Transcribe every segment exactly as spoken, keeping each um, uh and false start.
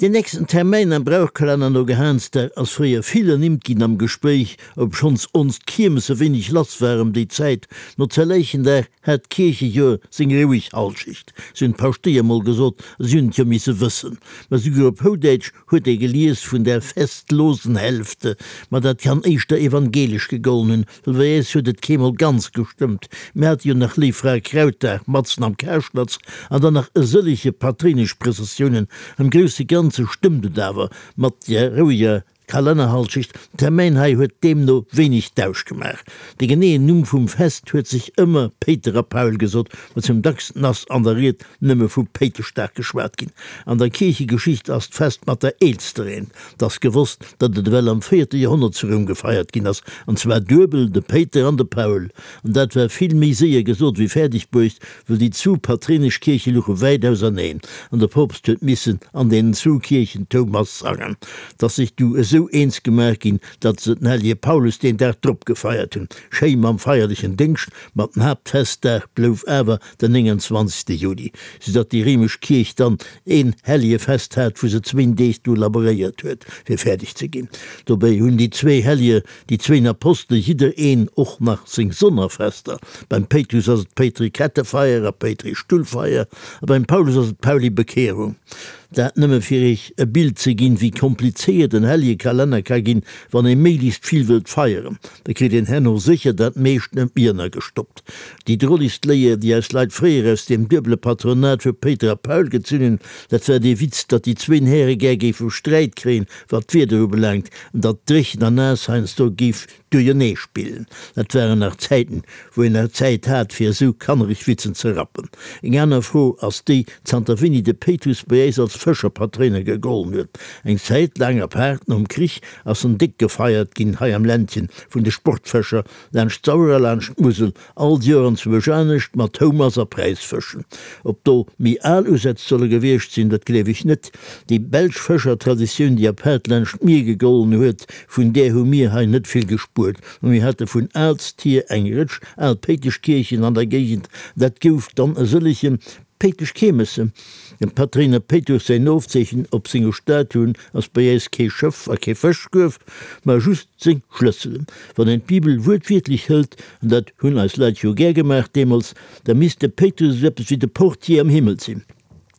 Den nächsten Termäin am Brauchkalenner no Gehansdag ass fréier vill ernimmt ginn am Gespréich, obschonns ons d'Kiermesse wéineg lass war ëm déi Zäit. No Zerläichendag hat d'Kierchejoer seng roueg Halschecht, sou hunn d'Paschtéier mol gesot, a si hunn et jo misse wëssen. Ma souguer op Houdäitsch huet ee gelies vun der festlosen Hälfte. Ma dat kann éischter evangelesch gegollen hunn, well bei äis huet et keemol ganz gestëmmt. Mir hate jo nach Léiffrae-Krautdag matzen am Karschnatz an dann nach e sëllege patréinesch Prëssessiounen. Am grousse Ganze stëmmt et awer mat der roueger Kalennerhalschecht. Den Termäin hei huet deemno wéineg Dausch gemaach. De geneeën Numm vum Fest huet sech ëmmer Péiter a Paul gesot, ma zum dacksten ass an der Ried nëmme vu Péiteschdag geschwat ginn. An der Kierchegeschicht ass d'Fest mat der eelster eent. 't ass gewosst, datt et ewell am véierte Joerhonnert zu Roum gefeiert ginn ass, an zwar duebel, de Péiter an de Paul. An dat war vill méi séier gesot wéi fäerdeg bruecht, wëll déi zwu patréinesch Kierche luche wäit auserneen, an de Poopst huet missen an deenen zwu Kierchen d'Houmass sangen. 't ass sech du esou eens gemaach ginn, datt se den hellege Paulus deen Dag drop gefeiert hunn, schéi mam feierlechen Déngscht, ma den Haaptfestdag blouf awer den nénganzwanzegste Juli, soudatt déi réimesch Kierch dann een Hellegefest hat, wou se zwéin Deeg dru laboréiert huet, fir fäerdeg ze ginn. Dobäi hunn déi zwee Hellege, déi zwéin Apostele jidder een och nach seng Sonnerfester. Beim Péitrus ass et d'Péitri-Kettefeier a Péitri-Stullfeier a beim Paulus ass et d'Pauli-Bekehrung. Dat nëmme fir iech e Bild ze ginn, wéi komplizéiert en Hellege-Kalenner ka ginn, wann ee méiglechst vill wëllt feieren. Da kritt een herno sécher dat meescht net méi ënnergestoppt. Déi drolegst Léier, déi eis Leit fréier aus deem duebele Patronat vu Péiter a Paul gezunn hunn, dat war dee Witz, datt déi zwéin Häre gär géife Sträit kréien, wat d'Wieder ubelaangt, an datt dréchen an naass heiansdo géif duerjernee spillen. Dat waren nach Zäiten, wou een nach Zäit hat, fir esou kannereg Witzen ze rappen. Eng aner Fro ass déi, zanter wéini de Péitrus bei äis als Fëscherpatréiner gegollen huet. Eng Zäit laang, apaart nom Krich, ass en déck gefeiert ginn hei am Ländchen vun de Sportfëscher, laanscht d'Sauer a laanscht d'Musel, all Joer anzwousch anescht, mat Houmass a Präisfëschen. Ob do méi al Usätz solle gewiescht sinn, dat gleef ech net. Déi belsch Fëschertraditioun, déi apaart laanscht d'Mier gegollen huet, vun där hu mir hei net vill gespuert. Mä mir hate vun aalst hier eng Rëtsch al Péiteschkierchen an der Géigend. Dat gouf dann e sëllege Péiteschkiermesse. Dem Patréiner Péitrus säin Ofzeechen op senge Statuen ass bei äis kee Schëff a kee Fëschkuerf, mä just seng Schlësselen. Wann een d'Bibel wuertwiertlech hëlt, an dat hunn eis Leit jo gär gemaach deemools, da misst de Péitrus esou eppes wéi de Portier am Himmel sinn.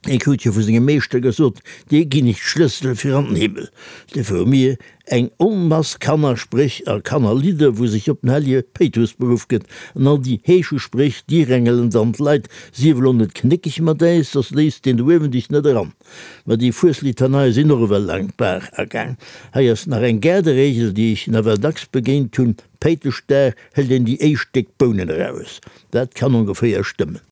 Hie krut jo vu sengem Meeschter gesot, Dir ginn ech d'Schlëssele fir an den Himmel. Duerfir hu mir eng Onmass Kannerspréch a Kannerlidder, wou sech op den hellege Péitrus beruff gëtt. An all déi Heeschespréch, déi rengelen dann d'Leit, Sief elo net knéckeg mat äis, soss léisst deen do uewen dech net eran. Ma déi Fueslitaneie sinn och ewell laang d'Baach agaang. Hei ass nach eng Gaarderegel, déi ech nawell dacks begéint hunn, Péiteschdag hëlt een déi éischt déck Bounen eraus. Dat kann ongeféier stëmmen.